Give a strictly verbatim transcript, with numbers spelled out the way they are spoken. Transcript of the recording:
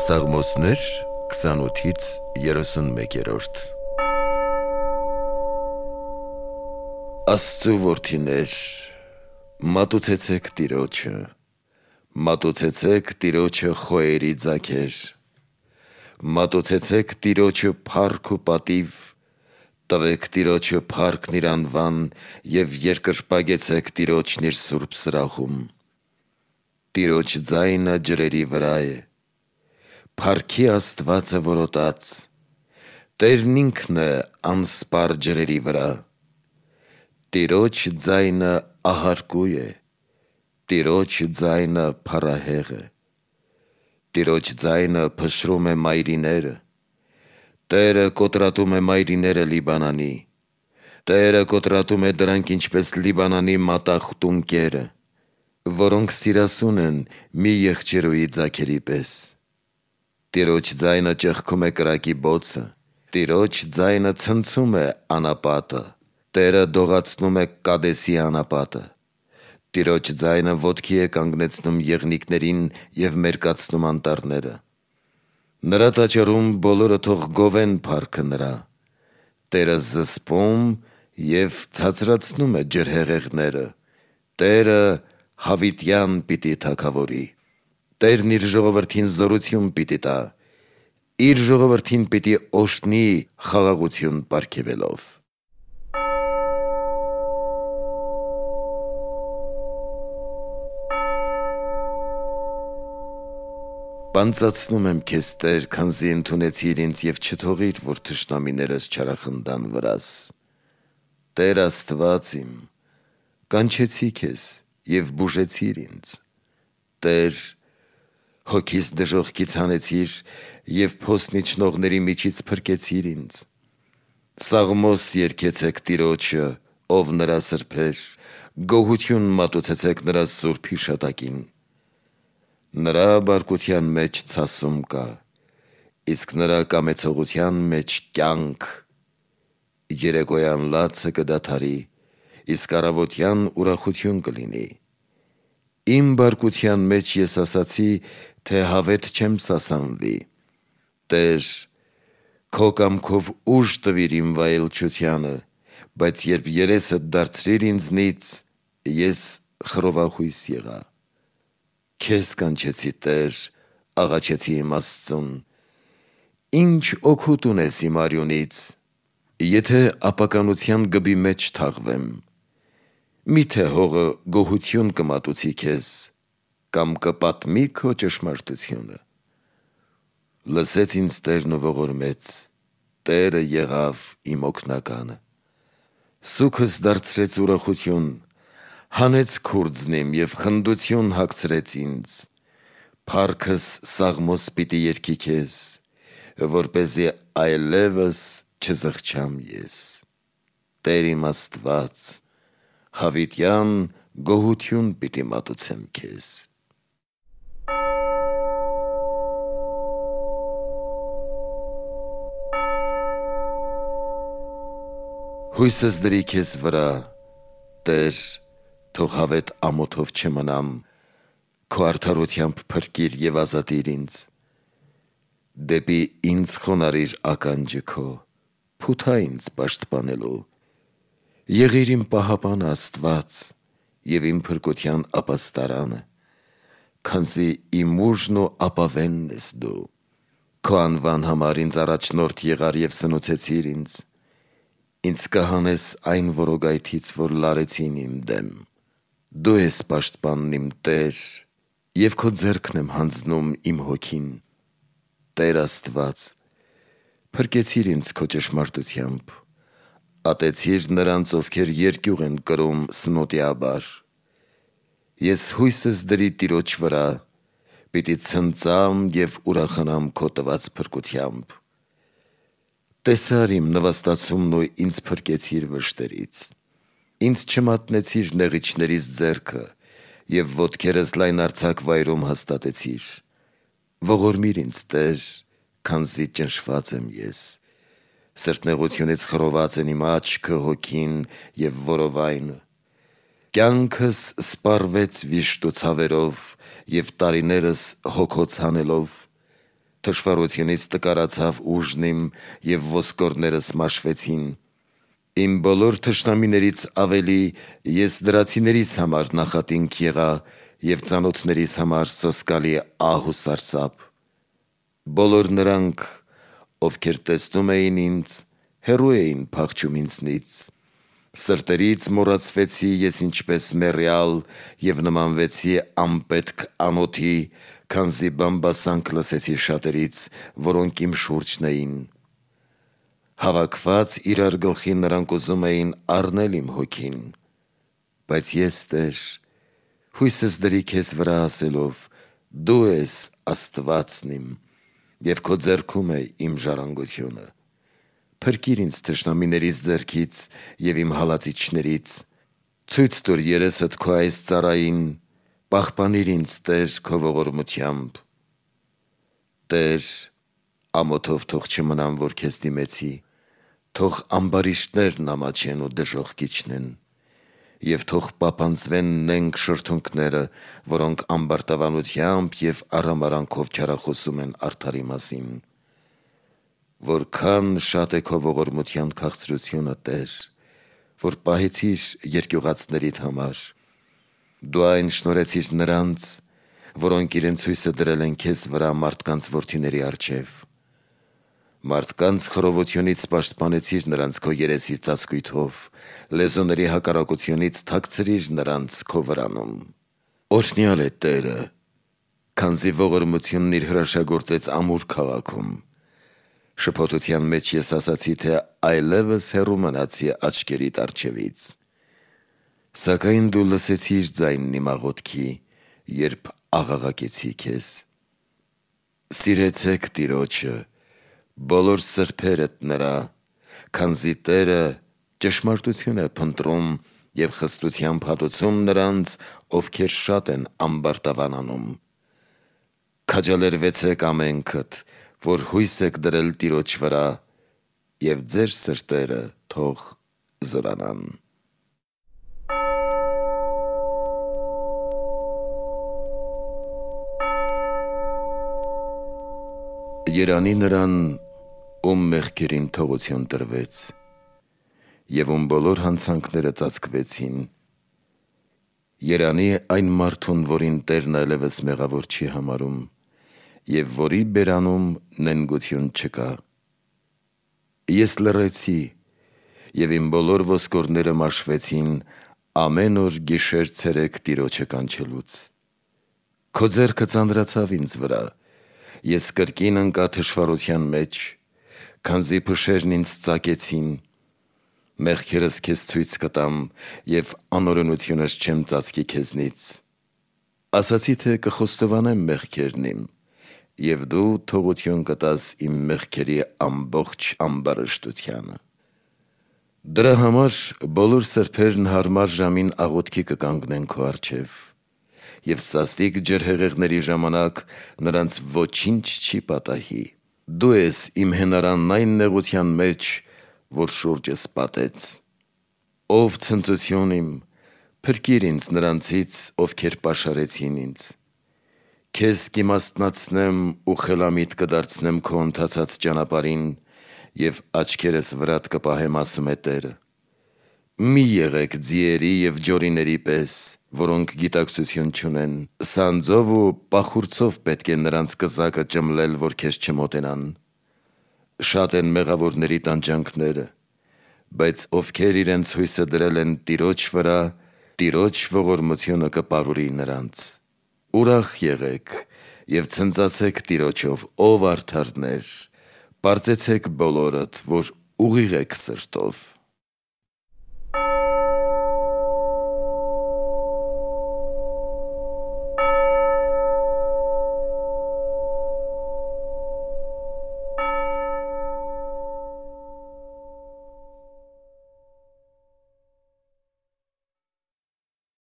Սաղմոսներ քսանութից երեսունմեկերորդ Աստծու որդիներ, մատուցեցեք Տիրոջը, մատուցեցեք Տիրոջը խոյերի ձագեր, մատուցեցեք Տիրոջը փառք ու պատիվ, տվեք Տիրոջը փառքն իր անվան և երկրպագեցեք Տիրոջն իր սուրբ սրահում։ Տիրոջ ձայնը ջրերի վրա է, փառքի Աստվածը որոտաց, Տերն ինքն է անսպառ ջրերի վրա։ Տիրոջ ձայնը ահարկու է, Տիրոջ ձայնը փառահեղ է, Տիրոջ ձայնը փշրում է մայրիները, Տերը կոտրատում է մայրիները Լիբանանի, Տերը կոտրատում է դրանք ինչպես Լիբանանի մատաղ տունկերը, որոնք սիրասուն են մի եղջերուի ձագերի պես։ Տիրոջ ձայնը ճեղքում է կրակի բոցը, Տիրոջ ձայնը ցնցում է անապատը, Տերը դողացնում է Կադեսի անապատը, Տիրոջ ձայնը ոտքի է կանգնեցնում եղնիկներին և մերկացնում անտառները։ Նրա տաճարում բոլորը թող գովեն փառքը նրա, Տերը զսպում և ցածրացնում է ջրհեղեղները, Տերը հավիտյան պիտի թագավորի։ Տերն իր ժողովրդին զորություն պիտի տա, Իր ժողովրդին պիտի օրհնի խաղաղություն պարգևելով։ Պանծացնում եմ քեզ, Տեր, քանզի ընդունեցիր ինձ և չթողիր, որ թշնամիներս չարախնդան վրաս։ Տեր Աստված իմ, կանչեցի քեզ և բուժեցիր ինձ։ Տեր, հոգիս դժոխքից հանեցիր և փոսն իջնողների միջից փրկեցիր ինձ։ Սաղմոս երգեցեք Տիրոջը, ով նրա սրբեր, գոհություն մատուցեցեք նրա սուրբ հիշատակին։ Նրա բարկության մեջ ցասում կա, իսկ նրա կամեցողության մեջ կյանք։ Երեկոյան լացը կդադարի, իսկ առավոտյան ուրախություն կլինի։ Իմ բարկության մեջ ես ասացի, թե հավետ չեմ սասանվի։ Տեր, քո կամքով ուժ տվիր իմ վայելչությանը, բայց երբ երեսդ դարձրիր ինձնից, ես խռովախույս եղա։ Քեզ կանչեցի, Տեր, աղաչեցի իմ Աստծուն։ Ինչ օգուտ ունես իմ արյունից, եթե ապականության գբի մեջ թաղվեմ։ Միթե հողը գոհություն կմատուցի քեզ, կամ կպատմի քո ճշմարտությունը։ Լսեց ինձ Տերն ու ողորմեց, Տերը եղավ իմ օգնականը։ Սուգս դարձրեց ուրախություն, հանեց քուրձն իմ և խնդություն հագցրեց ինձ։ Փառքս սաղմոս պիտի երգի քեզ, որպեսզի այլևս չզղջամ ես։ Տեր իմ Աստված, հավիտյան գոհություն պիտի մատուցեմ քեզ։ Հույսս դրի քեզ վրա, Տեր, թող հավետ ամոթով չմնամ, Քո արդարությամբ փրկիր և ազատիր ինձ։ Դեպի ինձ խոնարհիր ականջը քո, փութա ինձ պաշտպանելու։ Եղիր իմ պահապանը Աստված և իմ փրկության ապաստարանը, քանզի իմ ուժն ու ապավենն ես դու։ Քո անվան համար ինձ առաջնորդ եղար և սնուցեցիր ինձ։ Ինձ կհանես այն որոգայթից, որ լարեցին իմ դեմ։ Դու ես պաշտպանն իմ, Տեր, և քո ձեռքն եմ հանձնում իմ հոգին։ Տեր Աստված, փրկեցիր ինձ քո ճշմարտությամբ, ատեցիր նրանց, ովքեր երկյուղ են կրում սնոտիաբար։ Ես հույսս դրի Տիրոջ վրա, պիտի ցնծամ և ուրախանամ քո տված փրկությամբ։ Տեսար իմ նվաստացումն ու ինձ փրկեցիր վշտերից։ Ինձ չմատնեցիր նեղիչներիս ձեռքը և ոտքերս լայնարձակ վայրում հաստատեցիր։ Ողորմիր ինձ, Տեր, քանզի ճնշված եմ ես։ Սրտնեղությունից խռոված են իմ աչքը, հոգին և որովայնը։ Կյանքս սպառվեց վիշտ ու ցավերով և տարիներս հոգոց հանելով։ թշվառությունից տկարացավ ուժն իմ և ոսկորներս մաշվեցին։ Իմ բոլոր թշնամիներից ավելի ես դրացիներիս համար նախատինք եղա և ծանոթներիս համար սոսկալի ահ ու սարսափ։ Բոլոր նրանք, ովքեր տեսնում էին ինձ, հեռու էին փախչում ինձնից։ Սրտերից մոռացվեցի ես ինչպես մեռյալ և նմանվեցի անպետք անոթի, քանզի բամբասանք լսեցի շատերից, որոնք իմ շուրջն էին։ Հավաքված իրար գլխի նրանք ուզում էին առնել իմ հոգին, բայց ես, Տեր, հույսս դրի քեզ վրա ասելով. «Դու ես Աստվածն իմ, և քո ձեռքում է իմ ժառանգությունը»։ Փրկիր ինձ թշնամիներիս ձեռքից և իմ հալածիչներից, ցույց տուր երեսդ քո այս ծառային, պահպանիր ինձ, Տեր, քո ողորմությամբ։ Տեր, ամոթով թող չմնամ, որ քեզ դիմեցի, թող ամբարիշտներն ամաչեն ու դժոխք իջնեն, և թող պապանձվեն նենգ շրթունքները, որոնք ամբարտավանությամբ և արհամարհանքով չարախոսում են արդարի մասին։ Որքան շատ է քո ողորմության քաղցրությունը, Տեր, որ պահեցիր երկյուղածներիդ համար։ Դու այն շնորհեցիր նրանց, որոնք իրենց հույսը դրել են քեզ վրա մարդկանց որդիների առջև։ Մարդկանց խռովությունից պաշտպանեցիր նրանց քո երեսի ծածկույթով, լեզուների հակառակությունից թաքցրիր նրանց քո վրանում։ Օրհնյալ է Տերը, քանզի ողորմությունն իր հրաշագործեց ամուր քաղաքում։ Շփոթության մեջ ես ասացի, թե այլևս հեռու մնացի աչքերիդ առջևից։ Սակայն դու լսեցիր ձայնն իմ աղոթքի, երբ աղաղակեցի քեզ։ Սիրեցեք Տիրոջը, բոլոր սրբերդ նրա, քանզի Տերը ճշմարտություն է փնտրում և խստությամբ հատուցում նրանց, ովքեր շատ են ամբարտավանանում։ Քաջալերվեցեք ամենքդ, որ հույս եք դրել Տիրոջ վրա, և ձեր սրտերը թող զորանան։ Երանի նրան, ում մեղքերին թողություն տրվեց, և ում բոլոր հանցանքները ծածկվեցին։ Երանի այն մարդուն, որին Տերն այլևս մեղավոր չի համարում, և որի բերանում նենգություն չկա։ Ես լռեցի, և իմ բոլոր ոսկորները մաշվեցին ամեն օր գիշեր-ցերեկ Տիրոջը կանչելուց։ Քո ձեռքը ծանրացավ ինձ վրա, ես կրկին ընկա թշվառության մեջ, քանզի փշերն ինձ ծակեցին։ Մեղքերս քեզ ցույց կտամ, և անօրենությունս չեմ ծածկի քեզնից։ Ասացի, թե կխոստովանեմ մեղքերն իմ, և դու թողություն կտաս իմ մեղքերի ամբողջ ամբարշտությանը։ Դրա համար բոլոր սրբերն հարմար ժամին աղոթքի կկանգնեն քո առջև, և սաստիկ ջրհեղեղների ժամանակ նրանց ոչինչ չի պատահի։ Դու ես իմ հենարանն այն նեղության մեջ, որ շուրջս պատեց։ Ով ցնծություն իմ, փրկիր ինձ նրանցից, ովքեր պաշարեցին ինձ։ Քեզ կիմաստնացնեմ ու խելամիտ կդարձնեմ քո ընթացած ճանապարհին, և աչքերս վրատ կպահեմ, ասում է Տերը։ Մի եղեք ձիերի և ջորիների պես, որոնք գիտակցություն չունեն, սանձով ու պախուրձով պետք է նրանց կզակը ճմլել, որ քեզ չմոտենան։ Շատ են մեղավորների տանջանքները, բայց ովքեր իրենց հույսը դրել են Տիրոջ վրա, Տիրոջ ողորմությունը կպարուրի նրանց։ Ուրախ եղեք և ցնծացեք Տիրոջով, ով արդարներ, պարծեցեք բոլորդ, որ ուղիղ եք սրտով։